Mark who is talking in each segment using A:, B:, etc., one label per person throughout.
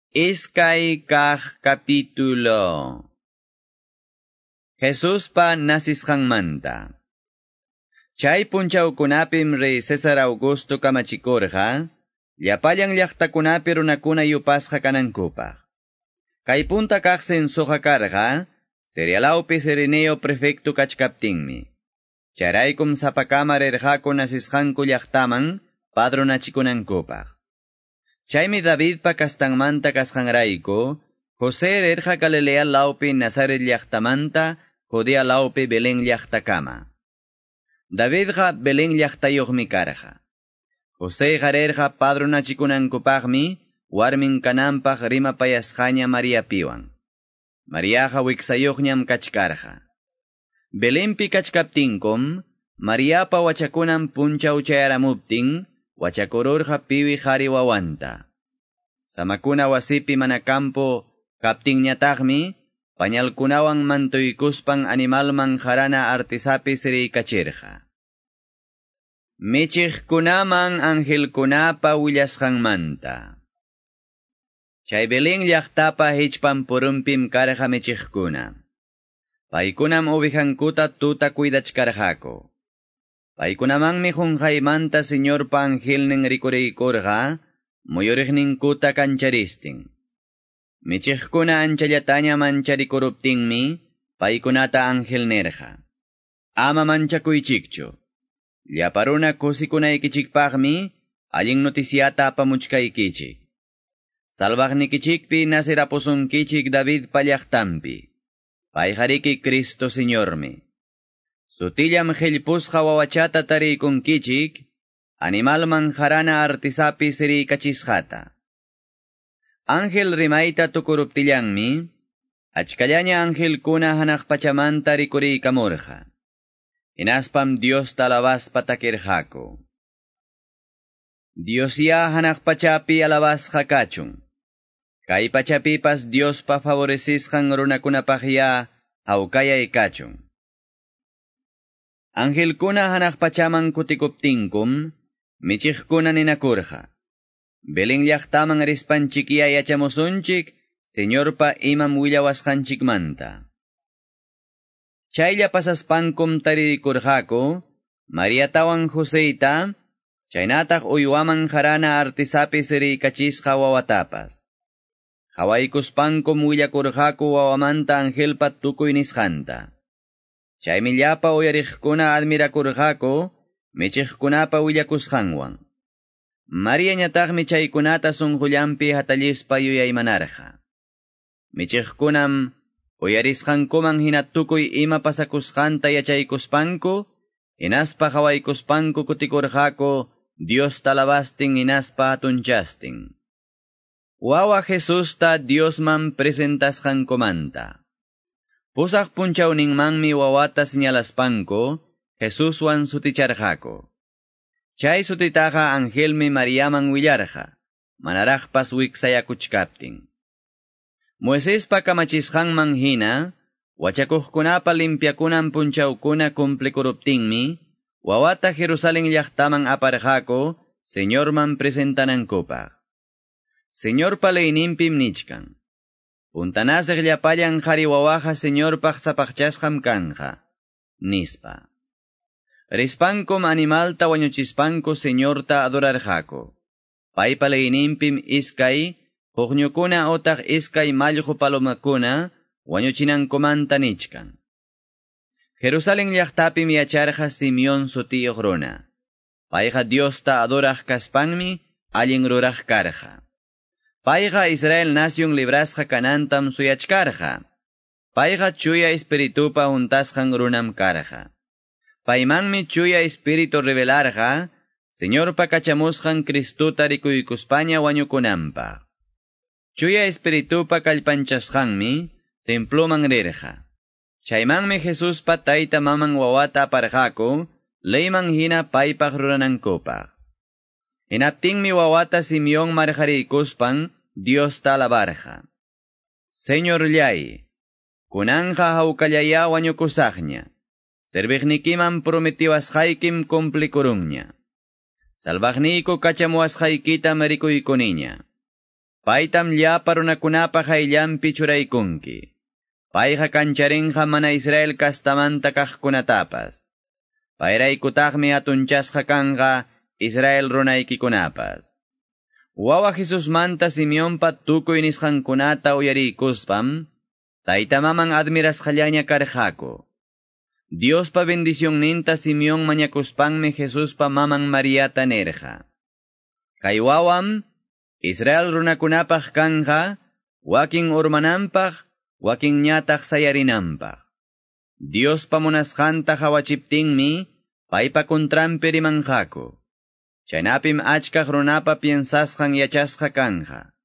A: Iskay kaq capítulo. Jesuspa nasisqanmanta. Chay punchawkunapim rey César Augusto kamachikurqa, llapallan llaqtakunapi runakuna yupasqa kanankupaq. Kay punta kaq censoqa karqa, Sirialawpi Cireneo prefecto kachkaptinmi. Chayraykum sapakama rirqaku nasisqanku llaqtaman padronachikunankupaq. Chaymi Davidpa kastanmanta kasqanrayku, José rirqa Galilea lawpi Nazaret llaqtamanta, Judea lawpi Belén llaqtakama. Davidqa Belén llaqtayuqmi karqa. Joséqa rirqa padronachikunankupaqmi, warmin kananpaq rimapayasqaña Mariapiwan. Mariaqa wiksayuqñam kachkarqa. Belenpi kachkaptinkum, Mariapa wachakunan punchaw chayaramuptin, wachakururqa piwi qhari wawanta. Samakuna wasipi mana campo kaptinñataqmi, pañalkunawan mantuykuspan animalman harana artisapi siriykachirqa. Michiqkunaman angelkunapa willasqanmanta. Chay Belén llaqtapa hichpan purumpim karqa michiqkuna. Paykunam ovejankuta tuta cuidachkarqaku. Paykunamanmi qunqaymanta Señorpa angelnin rikuriykurqa, muyuriqninkuta kancharistin. Michiqkuna anchallataña mancharikuruptinmi, paykunata ángel nirqa. Ama manchakuychikchu. Llapa runa kusikunaykichikpaqmi, allin noticiata apamuchkaykichik. Salvaqnikichikpi nasirapusunkichik Davidpa llaqtanpi. Payqariki Cristo Señormi. Sutillam qillpusqa wawachata tariykunkichik, animalman harana artisapi siriykachisqata. Ángel rimayta tukuruptillanmi, achkallaña angelkuna hanaq pachamanta rikuriykamurqa. Hinaspam Diosta alabaspa takirqaku. Diosya hanaq pachapi alabasqa kachun. Kay pachapipas Diospa favorecisqan runakunapaqya hawkayay kachun. Angelkuna hanaq pachaman kutikuptinkum, michiqkuna ninakurqa. Belén llaqtaman rispanchikya yachamusunchik, Señorpa imam willawasqanchikmanta. Chaylla pasaspankum taririkurqaku, Mariatawan Joseyta, chaynataq uywaman harana artisapi siriykachisqa wawatapas. Qhawaykuspankum willakurqaku wawamanta angelpa tukuy nisqanta. Chaymi llapa uyariqkuna admirakurqaku, michiqkunapa willakusqanwan. Mariañataqmi chaykunata sunqullanpi hatallispa yuyaymanarqa. Michiqkunam uyarisqankuman hina tukuy ima pasakusqanta yachaykuspanku, hinaspa qhawaykuspanku kutikurqaku Diosta alabastin hinaspa hatunchastin. Wawa Jesusta Diosman presentasqankumanta. Pusaq punchawninmanmi wawata señalaspanku, Jesuswan suticharqaku. Chay sutitaqa angelmi Mariaman willarqa, manaraqpas wiksayakuchkaptin. Moisespa kamachisqanman hina, wachakuqkunapa limpiakunan punchawkuna cumplikuruptinmi, wawata Jerusalén llaqtaman aparqaku, Señorman presentanankupaq. Señorpa leyninpim nichkan. Puntanasiq llapallan qhari wawaqa Señorpaq sapaqchasqam kanja, nispa. Rispankum animalta wañuchispanku Señorta adorarqaku. Paypa leyninpim iskay, huqñukuna otaq iskay mallqu palomakuna wañuchinankumanta nichkan. Jerusalén llaqtapim yacharqa Simeón sutiyuq runa. Payqa Diosta adoraq kaspanmi allin ruraq karqa. Payqa Israel nación librasqa kanantam suyachkarqa. Payqa chuya espiritupa huntasqan runam karqa. Paymanmi chuya espíritu revelarqa, Señorpa kachamusqan Cristuta rikuykuspaña wañukunanpaq. Chuya espiritupa kallpanchasqanmi temploman rirqa. Chaymanmi Jesuspa tayta maman wawata aparqaku, leyman hina paypaq ruranankupaq. Hinaptinmi wawata Simeón marqariykuspan Diosta alabarqa. Señorllay, kunanqa hawkallaya wañukusaqña. Serviqnikiman prometiwasqaykim cumplikurunña. Salvaqniyku kachamuwasqaykitam rikuykuniña. Paytam llapa runakunapa qayllanpi churaykunki. Payqa kancharinqa mana Israel kastamanta kaqkunatapas. Payraykutaqmi hatunchasqa kanqa Israel runaykikunapas. Wawa Jesusmanta Simeonpa tukuy nisqankunata uyariykuspam, tayta maman admirasqallaña karqaku. Diospa bendicionninta Simeón mañakuspanmi Jesuspa maman Mariata nirqa. Kay wawam Israel runakunapaq kanja, wakin urmananpaq, wakin ñataq sayarinanpaq. Diospa munasqanta hawachiptinmi, paypa kuntranpi rimanqaku. Chaynapim achkaq runapa piensasqan yachasqa kanja.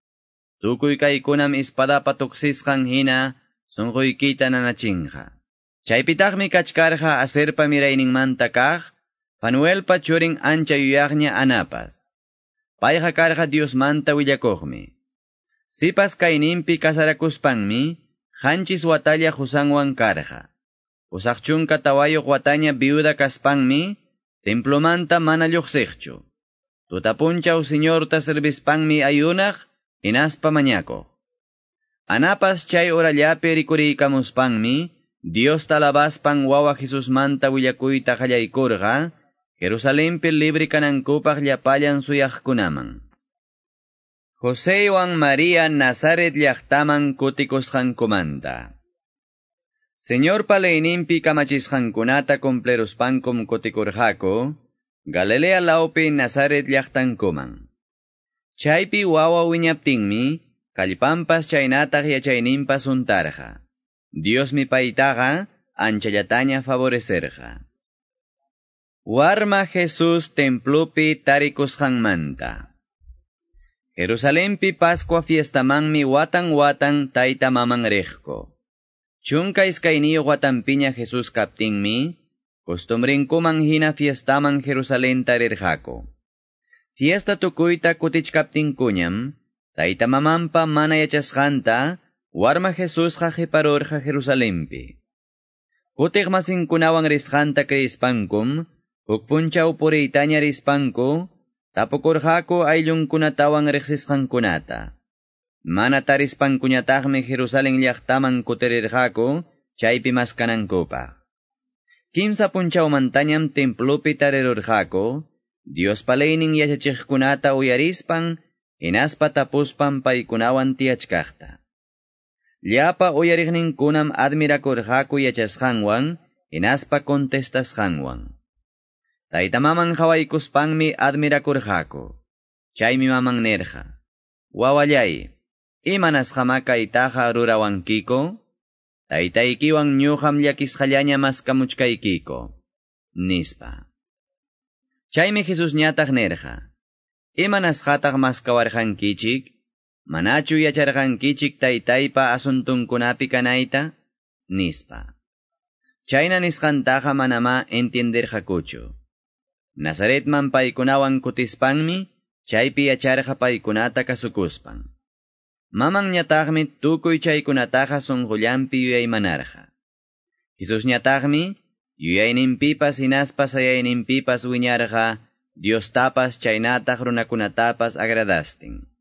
A: Tukuy kaykunam espadapa tuksisqan hina sunquykita nanachinqa. Chaypitaqmi kachkarqa Aserpa mirayninmanta kaq, Fanuelpa churin ancha yuyaqña Anapas. Payqa karqa Diosmanta willakuqmi. Sipas kayninpi kasarakuspanmi, qanchis watalla qusanwan karqa. 84 wataña viuda kaspanmi, templomanta mana lluqsiqchu. Tutapunchaw Señorta servispanmi ayunaq, hinaspa mañakuq. Anapas chay orallapi rikuriykamuspanmi, Diosta alabaspan wawa Jesusmanta willakuyta qallaykurqa, Jerusalenpi libre kanankupaq llapallan suyaqkunaman. Joseywan María Nazaret llaqtaman kutikusqankumanta. Señorpa leyninpi kamachisqankunata cumpleruspankum kutikurqaku, Galilea lawpi Nazaret llaqtankuman. Chaypi wawa wiñaptinmi, kallpanpas chaynataq yachayninpas untarqa. Diosmi paytaqa anchallataña favorecerqa. Warma Jesús templopi tarikusqanmanta. Jerusalenpi Pascua fiestamanmi watan watan tayta maman riqku. 12 watanpiña Jesús kaptinmi, costumbrinkuman hina fiestaman Jerusalenta rirqaku. Fiesta tukuyta kutichkaptinkuñam, tayta mamanpa mana yachasqanta, warma Jesusqa qiparurqa Jerusalenpi. Kutiq masinkunawan risqanta creispankum, huk punchaw puriytaña rispanku, tapukurqaku ayllunkunatawan riqsisqankunata. Mana tarispankuñataqmi Jerusalén llaqtaman kutirirqaku, chaypi maskanankupaq. 3 punchawmantañam templopi tarirurqaku, Diospa leynin yachachiqkunata uyarispan, hinaspa tapuspan paykunawan tiyachkaqta. Llapa uyariqninkunam admirakurqaku yachasqanwan, hinaspa contestasqanwan. Tayta maman qhawaykuspanmi admirakurqaku. Chaymi maman nirqa: Wawallay, imanasqamá kaytaqa rurawankiku? Taytaykiwan ñuqam llakisqallaña maskamuchkaykiku, nispa. Chaymi Jesusñataq nirqa: Imanasqataq maskawarqankichik? Manachu yacharqankichik taytaypa asuntunkunapi kanayta? Nispa. Chayna nisqantaqa manamá entienderqakuchu. Nazaretman paykunawan kutispanmi, chaypi yacharqa paykunata kasukuspan. Mamanñataqmi tukuy chaykunataqa sunqullanpi yuyaymanarqa. Jesusñataqmi yuyayninpipas hinaspa sayayninpipas wiñarqa, Diostapas chaynataq runakunatapas agradastin.